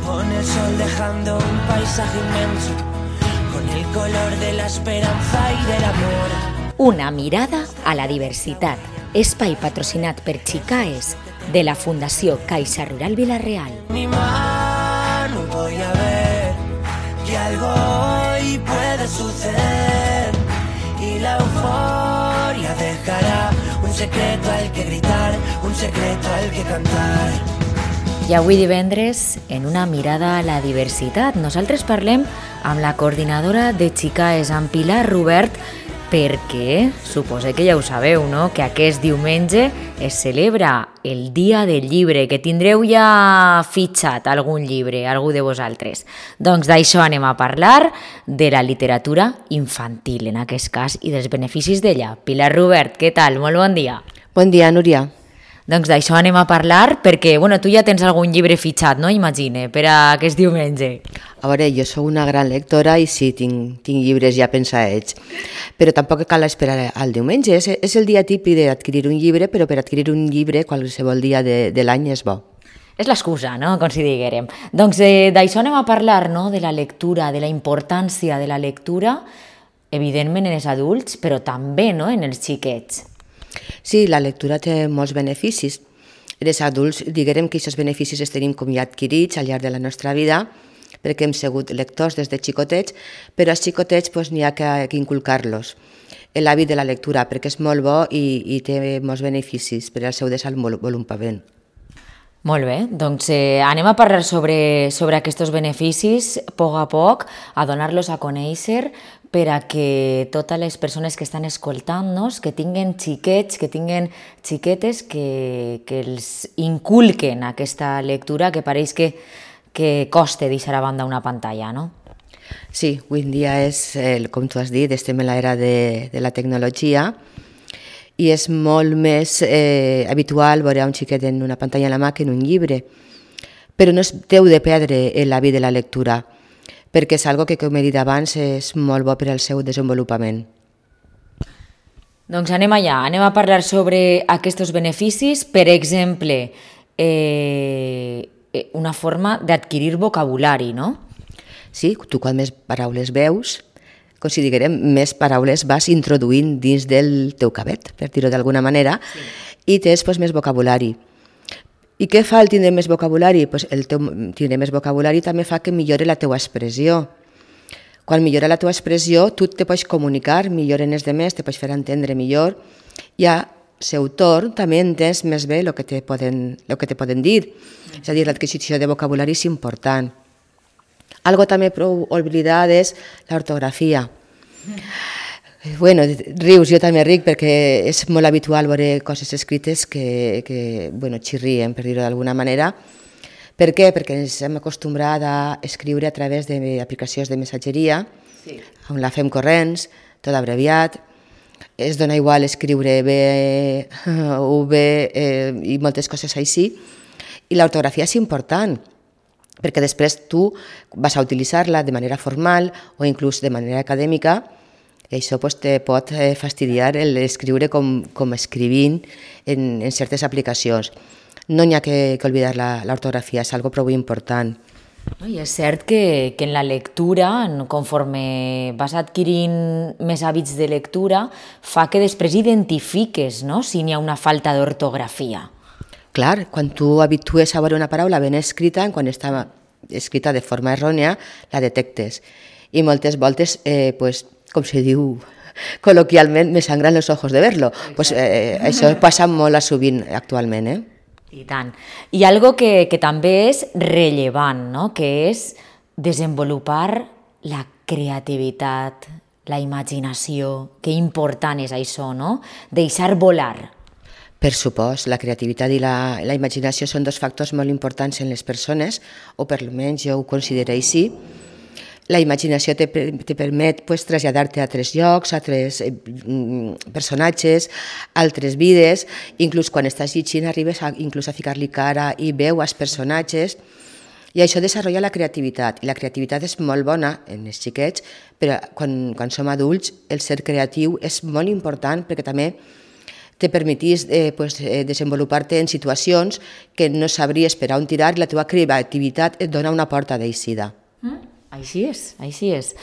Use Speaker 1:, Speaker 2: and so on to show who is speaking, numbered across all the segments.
Speaker 1: con el sol dejando un paisaje inmenso, con el color de la esperanza y del amor.
Speaker 2: Una mirada a la diversitat. Espai patrocinat per Chicaes de la Fundació Caixa Rural Vila-real.
Speaker 1: Mi mano voy a ver que algo hoy puede suceder y la euforia dejará un secreto al que gritar, un secreto al que cantar.
Speaker 2: I avui divendres, en una mirada a la diversitat, nosaltres parlem amb la coordinadora de Chicaes, amb Pilar Rubert, perquè suposo que ja ho sabeu, no?, que aquest diumenge es celebra el Dia del Llibre, que tindreu ja fitxat algun llibre, algú de vosaltres. Doncs d'això anem a parlar, de la literatura infantil, en aquest cas, i dels beneficis d'ella. Pilar Rubert, què tal? Molt bon dia.
Speaker 3: Bon dia, Núria.
Speaker 2: Doncs d'això anem a parlar perquè, tu ja tens algun llibre fitxat, no?, imagine, per a aquest diumenge.
Speaker 3: A veure, jo sóc una gran lectora i sí, tinc llibres ja pensats, però tampoc cal esperar al diumenge. És el dia típic d'adquirir un llibre, però per adquirir un llibre qualsevol dia de l'any és bo.
Speaker 2: És l'excusa, no?, com si diguérem. Doncs d'això anem a parlar, no?, de la lectura, de la importància de la lectura, evidentment en els adults, però també, no?, en els xiquets.
Speaker 3: Sí, la lectura té molts beneficis. Els adults, diguem que aquests beneficis els tenim com ja adquirits al llarg de la nostra vida, perquè hem sigut lectors des de xicotets, però als xicotets n'hi ha que inculcar-los l'hàbit de la lectura, perquè és molt bo i té molts beneficis per al seu desenvolupament.
Speaker 2: Molt bé, doncs anem a parlar sobre aquests beneficis a poc, a donar-los a conèixer per a que totes les persones que estan escoltant-nos, que tinguen xiquets, que tinguen xiquetes, que els inculquen aquesta lectura que pareix que costa deixar a banda una pantalla, no?
Speaker 3: Sí, avui en dia és, com tu has dit, estem en l'era de la tecnologia i és molt més habitual veure un xiquet en una pantalla a la mà que en un llibre, però no es deu de perdre l'hàbit de la lectura, perquè és algo que, com he dit abans, és molt bo per al seu desenvolupament.
Speaker 2: Doncs anem allà, anem a parlar sobre aquests beneficis, per exemple, una forma d'adquirir vocabulari, no?
Speaker 3: Sí, tu quan més paraules veus, com si diguem, més paraules vas introduint dins del teu cabet, per dir-ho d'alguna manera, sí. I tens més vocabulari. I què fa el tindre més vocabulari? El teu tindre més vocabulari també fa que millori la teua expressió. Quan millora la teua expressió, tu te pots comunicar millor en els demés, te pots fer entendre millor, i a seu torn també entens més bé el que te poden dir. És a dir, l'adquisició de vocabulari és important. Algo també prou oblidat és l'ortografia. Bueno, rius, jo també ric perquè és molt habitual veure coses escrites que xirrien, per dir-ho d'alguna manera. Per què? Perquè ens hem acostumbrat a escriure a través d'aplicacions de missatgeria, sí, on la fem corrents, tot abreviat, es dona igual escriure B, V i moltes coses així, i l'ortografia és important, perquè després tu vas a utilitzar-la de manera formal o inclús de manera acadèmica, i això te pot fastidiar l'escriure com escrivint en certes aplicacions. No n'hi ha que oblidar l'ortografia, és algo prou important.
Speaker 2: I és cert que en la lectura, conforme vas adquirint més hàbits de lectura, fa que després identifiques, no?, si n'hi ha una falta d'ortografia.
Speaker 3: Clar, quan tu habitues a veure una paraula ben escrita, quan està escrita de forma errònia, la detectes. I moltes voltes, com se diu col·loquialment, me sangran los ojos de verlo. Això passa molt sovint actualment,
Speaker 2: I tant. I algo que també és rellevant, no?, que és desenvolupar la creativitat, la imaginació. Que important és això, no?, deixar volar.
Speaker 3: Per supost, la creativitat i la imaginació són dos factors molt importants en les persones, o per almenys jo ho considero així. La imaginació te permet traslladar-te a altres llocs, a altres personatges, a altres vides, inclús quan estàs llegint arribes inclús a ficar-li cara i veu als personatges, i això desenvolupa la creativitat, i la creativitat és molt bona en els xiquets, però quan som adults el ser creatiu és molt important perquè també te permetís desenvolupar-te en situacions que no sabries per on tirar i la teva creativitat et dona una porta d'eixida.
Speaker 2: Així és, així és.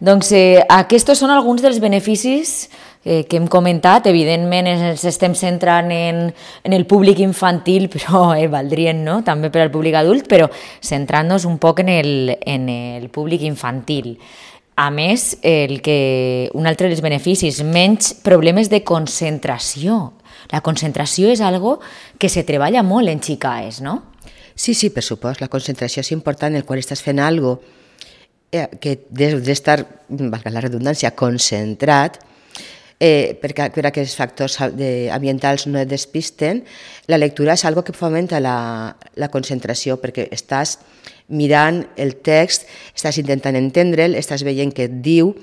Speaker 2: Doncs aquests són alguns dels beneficis que hem comentat. Evidentment ens estem centrant en el públic infantil, però valdrien, no?, també per al públic adult, però centrant-nos un poc en el públic infantil. A més, un altre dels beneficis, menys problemes de concentració. La concentració és algo que se treballa molt en Xicaes, no?
Speaker 3: Sí, per supost, la concentració és important quan estàs fent alguna cosa que has d'estar, valga la redundància, concentrat, perquè aquests factors ambientals no et despisten. La lectura és algo que fomenta la concentració, perquè estàs mirant el text, estàs intentant entendre'l, estàs veient què et diu,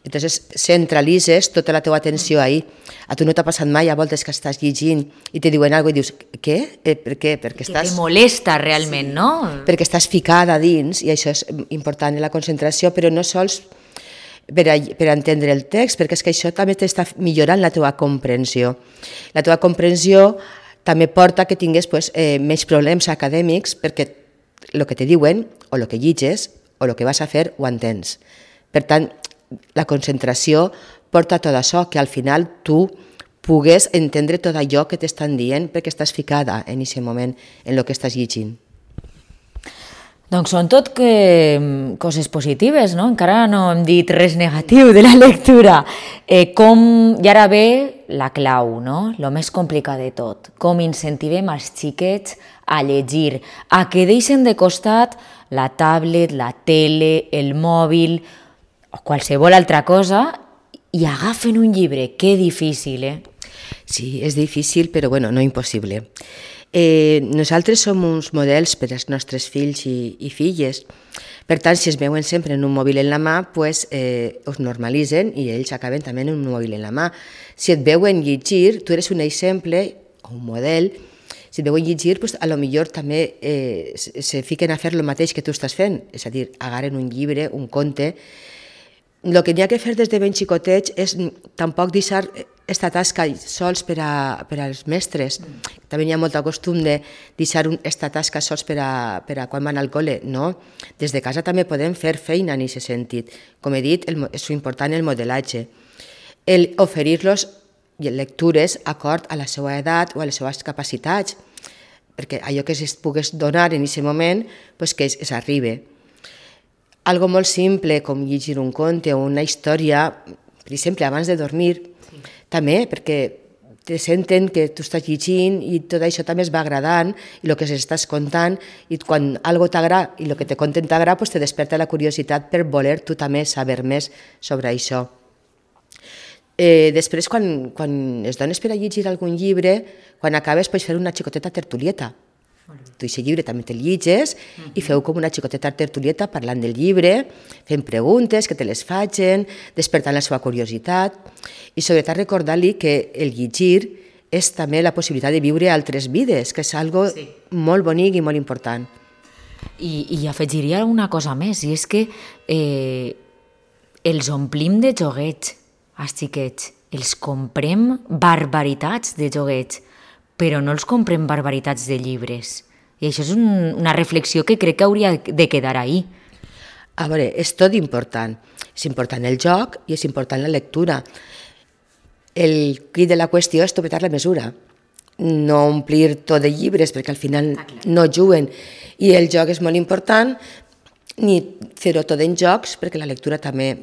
Speaker 3: entonces centralitzes tota la teva atenció ahí. A tu no t'ha passat mai a voltes que estàs llegint i te diuen alguna cosa i dius, què? Per què? Perquè estàs...
Speaker 2: Que te molesta realment, no?
Speaker 3: Perquè estàs ficada dins, i això és important en la concentració, però no sols per entendre el text, perquè és que això també t'està millorant la teva comprensió. La teva comprensió també porta que tingues menys problemes acadèmics, perquè el que te diuen, o el que llitges, o el que vas a fer, ho entens. Per tant, la concentració porta tot això, que al final tu pugues entendre tot allò que t'estan dient perquè estàs ficada en aquest moment en el que estàs llegint.
Speaker 2: Doncs són tot coses positives, no? Encara no hem dit res negatiu de la lectura. I ara ve la clau, no? Lo més complicat de tot. Com incentivem els xiquets a llegir, a que deixen de costat la tablet, la tele, el mòbil o qualsevol altra cosa i agafen un llibre. Que difícil,
Speaker 3: Sí, és difícil, però no impossible. Nosaltres som uns models per als nostres fills i filles. Per tant, si es veuen sempre en un mòbil en la mà, us normalitzen i ells acaben també en un mòbil en la mà. Si et veuen llegir, tu eres un exemple o un model. Si et veuen llegir, a lo millor també se fiquen a fer el mateix que tu estàs fent, és a dir, agarren un llibre, un conte. El que n'hi ha que fer des de ben xicotets és tampoc deixar esta tasca sols per als mestres. També hi ha molt costum de deixar esta tasca sols per a quan van al col·le. No, des de casa també podem fer feina en aquest sentit. Com he dit, és important el modelatge. Oferir-los lectures acord a la seva edat o a les seves capacitats, perquè allò que es pogués donar en aquest moment, que s'arribi. Algo molt simple, com llegir un conte o una història, per exemple, abans de dormir, també, perquè te senten que tu estàs llegint i tot això també es va agradant i el que s'estàs contant, i quan algo t'agrada i el que te conten t'agrada, te desperta la curiositat per voler tu també saber més sobre això. Després, quan es dones per a llegir algun llibre, quan acabes pots fer una xicoteta tertulieta. Tu aquest llibre també te'l llitges i feu com una xicoteta tertulieta parlant del llibre, fent preguntes que te les facin, despertant la seva curiositat i sobretot recordar-li que el llegir és també la possibilitat de viure altres vides, que és algo molt bonic i molt important.
Speaker 2: I afegiria una cosa més, i és que els omplim de joguets, els xiquets, els comprem barbaritats de joguets, però no els comprem barbaritats de llibres. I això és una reflexió que crec que hauria de quedar ahí.
Speaker 3: A veure, és tot important. És important el joc i és important la lectura. El quid de la qüestió és topetar la mesura. No omplir tot de llibres, perquè al final no juguen. I el joc és molt important, ni fer-ho tot en jocs, perquè la lectura també...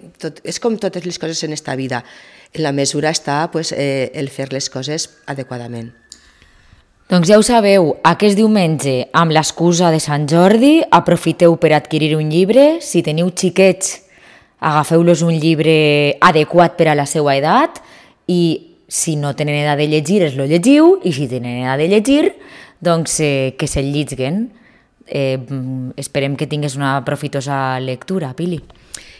Speaker 3: És com totes les coses en esta vida. En la mesura està el fer les coses adequadament.
Speaker 2: Doncs ja ho sabeu, aquest diumenge, amb l'excusa de Sant Jordi, aprofiteu per adquirir un llibre. Si teniu xiquets, agafeu-los un llibre adequat per a la seva edat i si no tenen edat de llegir, es lo llegiu, i si tenen edat de llegir, doncs que se'l lliguen. Esperem que tingues una profitosa lectura, Pili.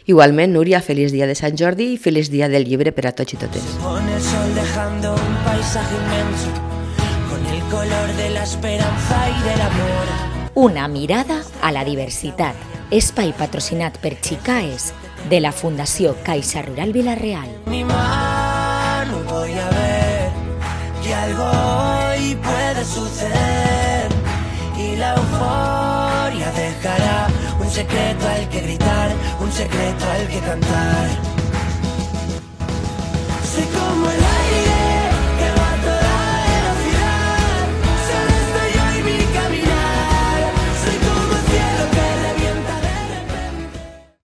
Speaker 3: Igualment, Núria, feliç dia de Sant Jordi i feliç dia del llibre per a tots i totes.
Speaker 1: Pone el sol dejando un paisaje inmenso con el color de la esperanza y del amor.
Speaker 2: Una mirada a la diversitat. Espai patrocinat per Xicaes de la Fundació Caixa Rural Vila-real.
Speaker 1: Mi mano voy a ver que algo hoy puede suceder y la euforia dejará un secreto al que gritar, un secreto al que cantar. Soy como el